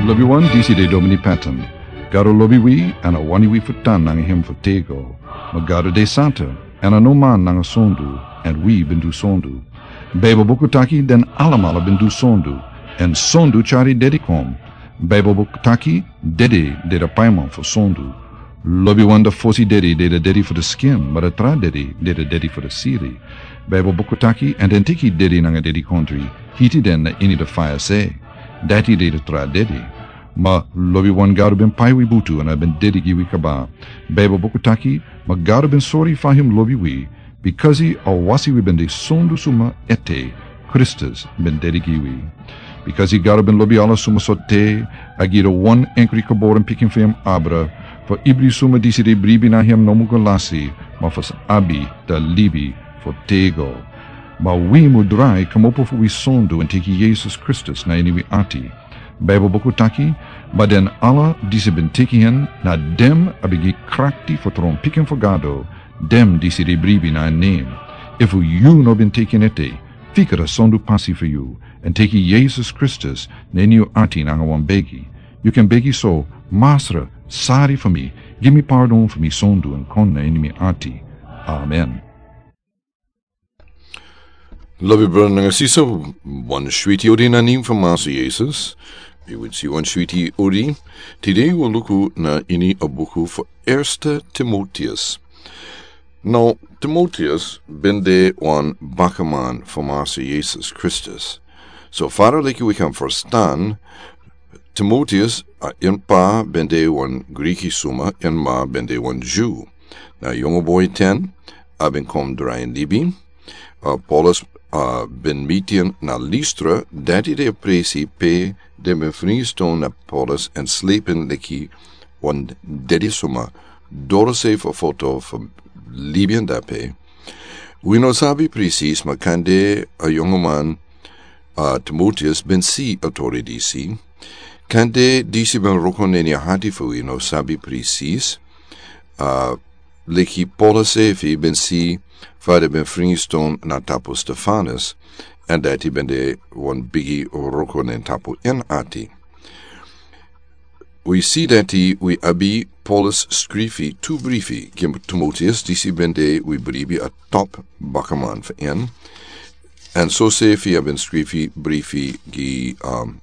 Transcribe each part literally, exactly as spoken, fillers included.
Lobiwan, disi de Domini Patton. Gado lobi wi, èn a wani wi fu tan nanga hem fu tego. Ma Gado de santa, èn a no man nanga sondu, èn wi ben du sondu. Baibel buku taki den alamala ben du sondu, èn sondu tyari dedi kon. Baibel buku taki dedi de a paiman fu sondu. Lobiwan, a fosi dedi de a dedi fu a skin, ma a tra dedi de a dedi fu a siri. Baibel buku taki, èn den teki dedi nanga dedikontri, hiti den na ini a faya se. Dati de a tra dedi. Ma lobiwan, Gado ben pai wi butu èn a ben dedi gi wi kaba. Baibel buku taki, ma Gado ben sori fa hem lobi wi, bikasi a wasi wi ben de sondu suma ete, Kristus ben dedi gi wi. Bikasi Gado ben lobi ala suma so te, a gi a wan enkri geboren pikin fu hem abra, fu ibri suma disi de bribi na hem no mu go lasi, ma fu sa abi a libi fu tego. Ma wi mu drai kmopo fu wi sondu èn teki Yesus Kristus na ini wi ati. Baibel buku taki, ma den ala disi ben teki en, na den a ben gi krakti fu tron pikin fu Gado, den disi de bribi na en nen. Efu yu no ben teki en ete, fika a sondu pasi fu yu, èn teki Yesus Kristus na ini yu ati nanga wan begi. Yu kan begi so: Masra, sari fu mi, gi mi pardon fu mi sondu èn kon na ini mi ati. Amen. Lobi brada nanga sisa, wan switi odi na nen fu Masra Yesus. Mi winsi wan switi odi. Tide wi o luku na ini a buku fu Erste Timoteus. Now, Timoteus ben de wan bakaman fu Masra Yesus Kristus. So fara leki wi kan ferstan, Timoteus, a, en pa ben de wan Griki suma, en ma ben de wan Dyu. Na yongu boi ten, a ben kon drai libi. A, Paulus, a, ben miti en na Listra, dati de a presi pe den ben fringiston na Paulus èn slepen leki wan dedi suma, doro se fu foto fu libi en dape. Wi no sabi presis, ma kande a yongu man, a, Timoteus ben si a tori disi. Kande disi ben wroko na ini a hati fu wi no sabi presis. A, leki Paulus sefi ben si fa den ben fringiston na tapu Stefanus, èn dati ben de wan bigi wroko na tapu en ati. Wi si dati wi abi Paulus skrifi tu brifi gi Timoteus, disi ben de, wi bribi, a top bakaman fu en. Èn so sefi a ben skrifi brifi gi, um,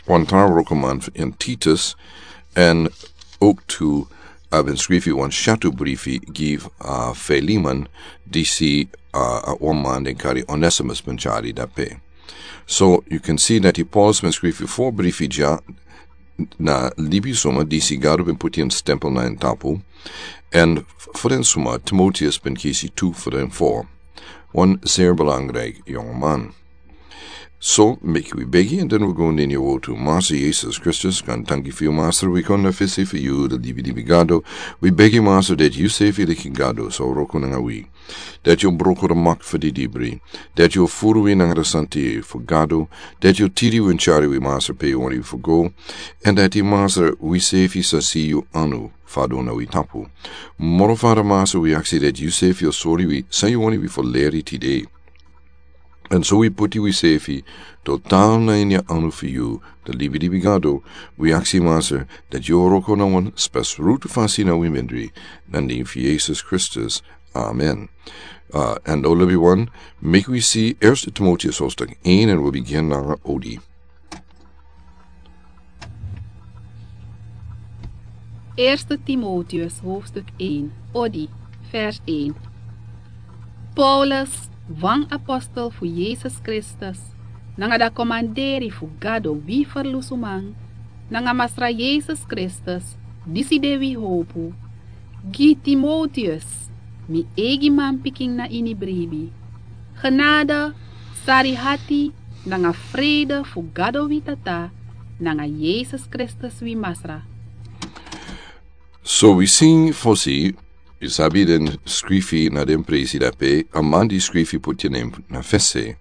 wan tra wrokoman fu en, Titus, èn ook tu a ben skrifi wan syatu brifi gi, uh, Filemon, disi, uh, a wan man den kari Onesimus ben tyari dape. So, yu kan si dati Paulus ben skrifi fo brifi dya na libi suma disi Gado ben poti en stempel na en tapu, èn fu den suma Timoteus ben kisi tu fu den fo. Wan zeer belangrijk yongu man. So, meki wi begi, èn den wi go na ini a wortu. Masra Yesus Kristus, kan tanki fu yu, Masra, wi kon na fesi fu yu, a libi libi Gado. Wi begi, Masra, dati yu sefi leki Gado sa wroko nanga wi. Dati yu o broko a mak fu di dibri. Dati yu o furu wi nanga a santa fu Gado. Dati yu o tiri wi èn tyari wi, Masra, pe yu wani wi fu go. Èn dati, Masra, wi sefi sa si yu anu fadon na wi tapu. Moro fadon, Masra, wi aksi dati yu sefi o sori wi san yu wani wi fu leri tide. Èn so wi poti wi sefi total na ini a anu fu yu, a libi libi Gado. Wi aksi, Masra, dati yu o wroko na wan spesrutu fasi na wi mindri, na nen fu Yesus Kristus. Amen. A, èn now, lobiwan, meki wi si Erste Timoteus hoofdstuk één, èn wi o bigin nanga odi. Eerste Timotheus hoofdstuk één, odi, vers één. Paulus, wan apostel fu Yesus Kristus, nanga a komanderi fu Gado wi Ferlusuman, nanga Masra Yesus Kristus, disi de wi howpu, gi Timotheus, mi eigi manpikin na ini bribi. Genade, sari hati, nanga vrede fu Gado wi Tata, nanga Yesus Kristus wi Masra. So wi si fosi, yu sabi den skrifi na den presi dape, a man di skrifi poti en nen na fesi.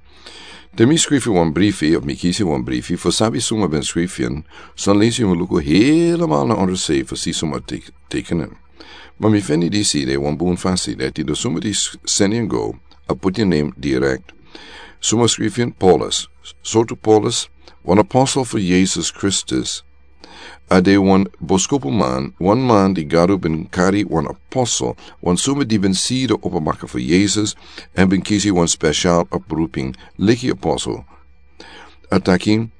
Te mi skrifi wan brifi, of mi kisi wan brifi, fu sabi suma ben skrifi en, san lesi yu mus luku helemaal na onderse fu si suma tek-, teken en. Ma mi feni disi de wan bun fasi, dati den suma di s-, seni en go, a poti en nen direkt. Suma skrifi en? Paulus. Sortu Paulus? wan apostel fu Yesus Kristus, a de wan boskopuman, wan man di Gado ben kari, wan apostel, wan suma di ben si de opo baka fu Yesus, èn ben kisi wan spesial oproeping leki apostel. A taki,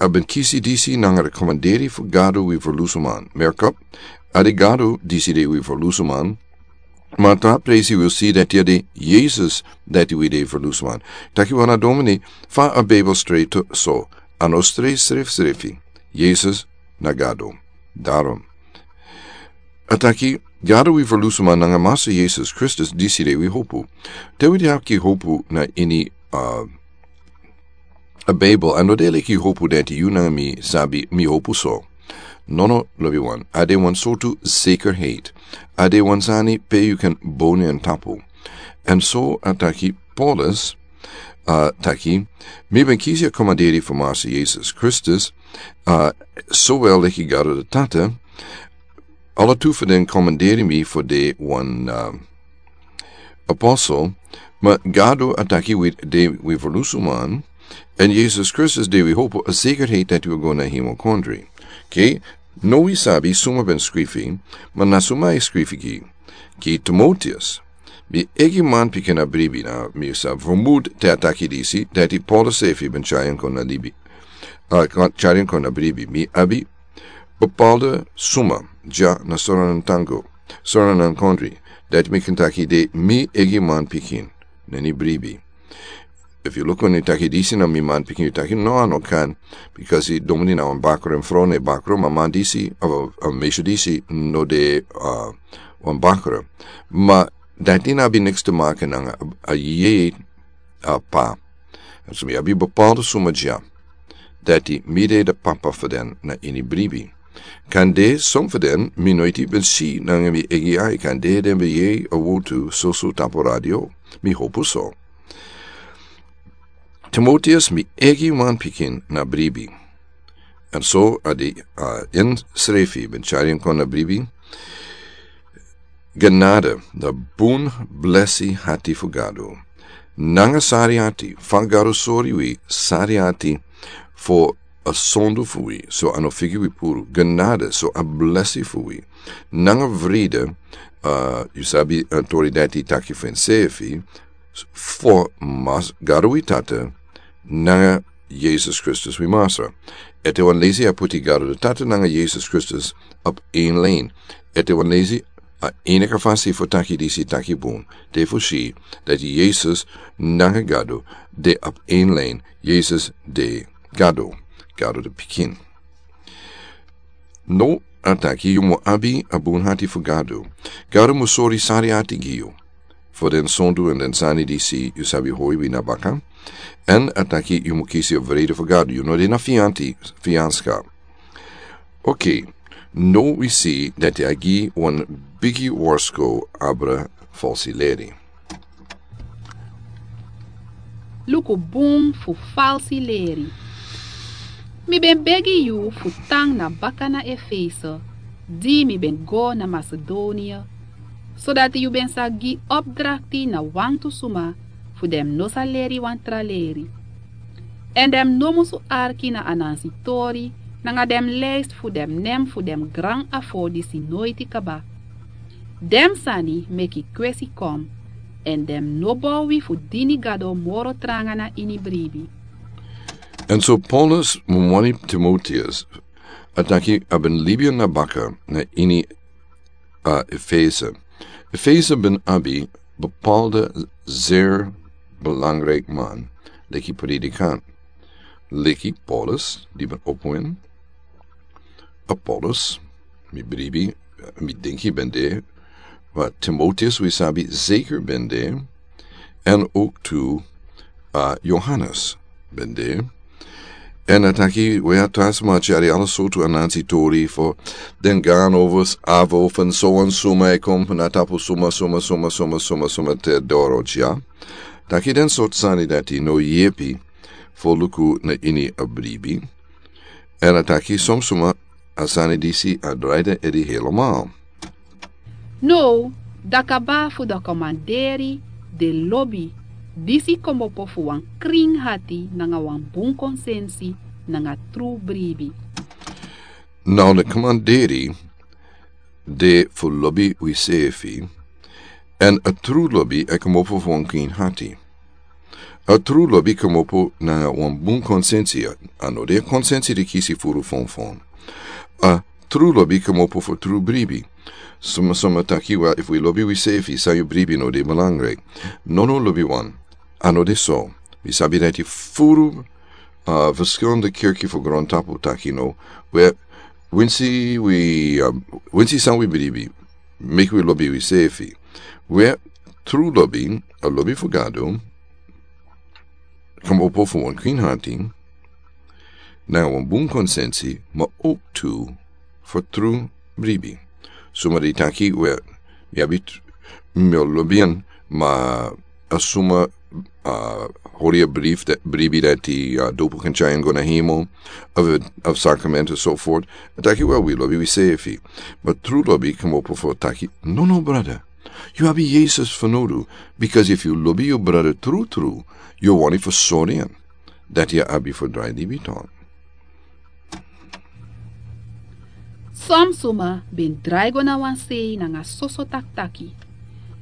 a ben kisi disi nanga rekomanderi fu Gado wi ferlusuman. Merk op, a de Gado disi de wi ferlusuman. Ma tra presi wi si dati a de Yesus dati wi de ferlusuman. Taki wan a domini, fa a Bijbel straight so, a no straight srefsrefi. Yesus na Gado. Daarom. A taki, Gado wi ferlusuman nanga Masa Yesus Kristus disi de wi hopu. Te wi de aki hopu na ini, uh, a Bijbel, a no de leki hopu dati yu nanga mi sabi mi hopu so. Nono, lobi wan. A de wan sortu zekerheid. A de wan sani pe yu kan boni èn tapu. Èn so a taki Paulus, a taki, mi ben kisi a komanderi fu Masa Yesus Kristus, a, sowel leki Gado de Tata, ala tu fu den komanderi mi fu de wan, a, apostel, ma Gado a taki wi de wi ferlusuman, èn Yesus Kristus de wi hopu, a zekerheid dati wi go na hemel kondre. Oké, no wi sabi suma ben skrifi, ma na suma e skrifi gi, gi Timoteus. Mi eigi manpikin a bribi na, mi sa vermoed te a taki disi, dati Paulus srefi ben tyari en kon na libi. A, kon tyari en kon na bribi. Mi abi bepaalde suma, dya na Sranan tango, Sranan kondre, dati mi kan taki de mi eigi manpikin, na ini bribi. Efu yu luku, yu taki disi na mi manpikin, yu taki no, a no kan, because yu domini na wan bakru, èn frow na bakru, ma man disi, of a, a meisje disi, no de, a, wan bakru. Ma dati no abi niks te maken nanga a, a yeye, a pa. So mi abi bepaalde suma dya, dati mi de de papa fu den na ini bribi. Kande son fu den mi noiti ben si nanga mi eigi ai, kande den ben yere a wotu soso tapu radio, mi hopu so. Timoteus, mi eigi manpikin na bribi. Èn so a de, a, ensrefi ben tyari en kon na bribi. Genade, na bun blesi hati fu Gado. Nanga sari hati, fa Gado sori wi sari hati fu a sondu fu wi, so a no figi wi puru. Genade, so a blesi fu wi. Nanga vrede, a, yu sabi, a, tori dati taki fu ensefi, fu Mas-, Gado wi Tata, nanga Yesus Kristus wi Masra. Ete wan leisi a poti Gado de Tata nanga Yesus Kristus op een lijn. Ete wan leisi a enige fasi fu taki disi taki bun, te fu si dati Yesus nanga Gado de op een lijn. Yesus de Gado, Gado de Pikin. No, a taki yu mu abi a bun hati fu Gado. Gado mu sori sari hati gi yu fu den sondu èn den sani disi yu sabi hori wi na baka. Èn a taki yu mu kisi a vrede fu Gado. Yu no de na fianti, fianska. Oké, no wi si dati a gi wan bigi worsko abra falsi leri. Luku bun fu falsi leri. Mi ben begi yu fu tan na baka na Efese, di mi ben go na Masedonia, sodati yu ben sa gi opdrakti na wantu suma fu den no sa leri wan tra leri. Èn den no musu arki na anansi tori, nanga den lijst fu den nen fu den gran afo disi noiti kaba. Den sani meki kwesi kon, èn den no bow wi fu dini Gado moro tranga na ini bribi. Èn so Paulus mu wani Timoteus, a taki a ben libi na baka na ini, a, Efese. Efese ben abi bepaalde zeer belangrijk man, leki predikant, leki Paulus, di ben opo en. Apollos, mi bribi, mi denki ben de, ma Timoteus wi sabi zeker ben de, èn ook tu, a, Johannes ben de. Èn a taki wi a tra sma tyari ala sortu anansi tori fu den gaan fu avo fu so èn suma e kon na tapu suma, suma, suma, suma, suma, suma te doro dya. Taki den sortu sani dati no yepi fu luku na ini a bribi. Èn a taki son suma a sani disi a drai den ede helemaal. Now, dan kaba fu den komanderi, den lobi, disi kmopo fu wan krin hati nanga wan bun konsensi, nanga tru bribi. Now the commanderi de fu lobi wisefi, en a tru lobi e komopo fu wan kwin hati. A tru lobi komopo nanga wan bun konsensi, a no de konsensi de kisi furu fonfon. A tru lobi komopo fu tru bribi. Suma suma taki, wel, efu wi lobi wisefi, san yu bribi no de belangrijk. No, no, lobi wan. A no de so. Wi sabi dati furu, a, verschillende kerki fu grontapu taki no. We, winsi wi, a, winsi san wi bribi, meki wi lobi wisefi. We, tru lobi, a lobi fu Gado, komopo fu wan kwin hati, nanga wan bun konsensi, ma ook tu fu tru bribi. Suma di taki, we, mi abi t-, mi o lobi en, ma a suma, a, hori a bribi dati, bribi dati, a, dopu kan tyari en go na hemel, of, of sacrament and so forth. A taki, wel, wi lobi wisefi. Ma tru lobi komopo fu taki, no, no, brother. Yu abi Yesus fanowdu, because efu yu lobi yu brother tru tru, yu o wani fu sori en. Dati a abi fu drai libi tok. Son suma ben drai go na wan sei nanga soso taki taki.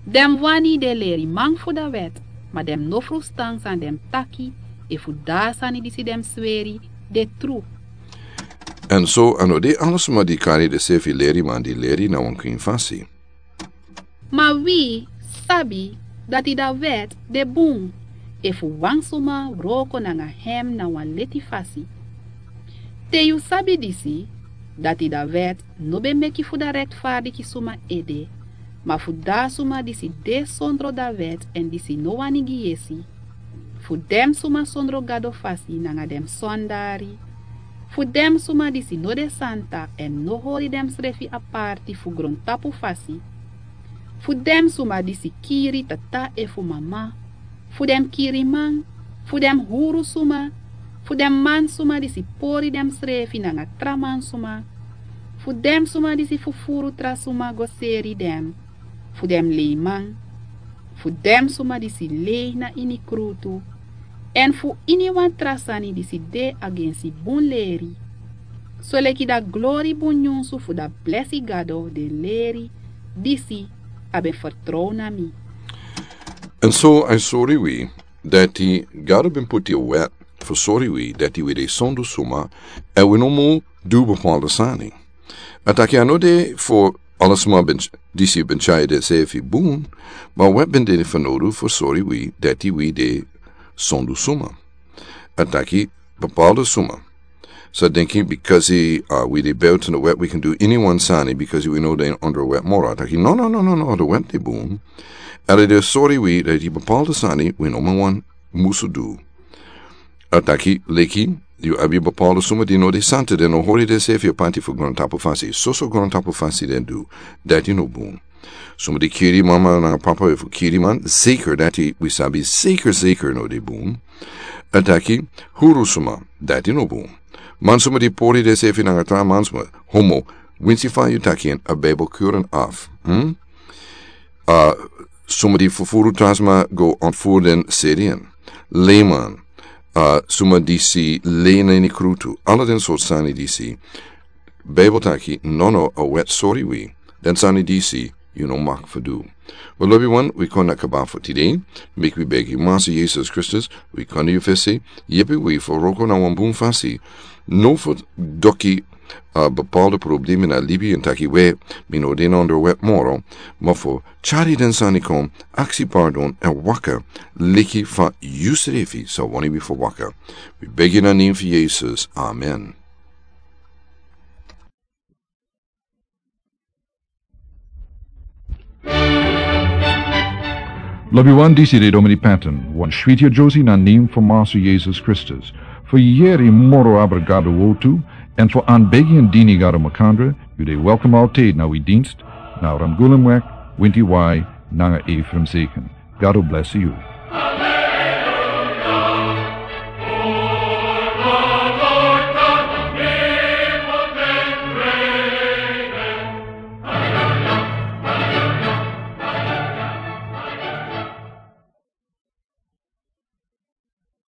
Den wani de leriman fu a wet, ma den no frustan san den taki, efu a sani disi den sweri de tru. En so a no de ala suma di kari densefi leriman di leri na wan kwin fasi. Ma wi sabi dati a wet de bun, efu wan suma wroko nanga hem na wan leti fasi. Te yu sabi disi, dati a wet no ben meki fu a rektfardiki suma ede, ma fu a suma disi de sondro a wet en disi no wani gi yesi. Fu den suma sondro Gado fasi nanga den sondari. Fu den suma disi no de santa en no hori densrefi aparti fu grontapu fasi. Fu den suma disi kiri tata efu mama. Fu den kiriman. Fu den huru suma. Fu den man suma disi pori densrefi nanga tra man suma. Fu den suma disi fufuru tra suma go seri den. Fu den leiman. Fu den suma disi lei na ini krutu. En fu iniwan tra sani disi de agensi bun leri. Soleki a glori bun nyunsu fu a blesi Gado den leri disi a ben fertrow na mi. En so a sori wi dati Gado ben poti a wet fu sori wi dati wi de sondu suma, en wi no mu du bepaalde sani. A taki a no de fu ala suma ben, disi ben tyari densefi bun, ma a wet ben de fanowdu fu sori wi dati wi de sondu suma. A taki bepaalde suma sa denki, because, a, wi de buiten a wet, wi kan du iniwan sani, because wi no de ondro a wet moro. A taki no, no, no, no, no, a wet de bun. En a de sori wi dati bepaalde sani wi no man wan musu du. A taki leki, yu abi bepaalde suma di no de santa, den no hori densefi aparti fu grontapu fasi. Soso grontapu fasi den du. Dati no bun. Suma di kiri mama nanga papa efu kiri man, zeker dati wi sabi zeker zeker no de bun. A taki huru suma, dati no bun. Man suma di pori densefi nanga tra man suma, homo, winsi fa yu taki en, a Bijbel keur en af. Hm? A, suma di fufuru tra suma go ontvoer den, seri en. Leiman, a, suma disi lei na ini krutu, ala den sortu sani disi. Bijbel taki no, no, a wet sori wi, den sani disi yu no mag fu du. Wel, lobi wan, wi kon na kaba fu tide. Meki wi begi Massa Yesus Kristus, wi kon na yu fesi, yepi wi fu wroko na wan bun fasi. No fu doki, a, bepaalde problema na libi en taki we, mi no de na ondro a wet moro, ma fu tyari den sani kon, aksi pardon, en waka leki fa yusrefi sa wani wi fu waka. Wi begi na nen fu Yesus. Amen. Lobi wan, disi de Domini Patton, wan switi yusrefi na nen fu Massa Yesus Kristus. Fu yere moro abra Gado wortu, en fu anbegi en dini Gado makandra, yu de welkom altijd na wi dienst, na Ramgulemweg, Winti Wai, nanga Ephraim Zeken. Gado blesi yu.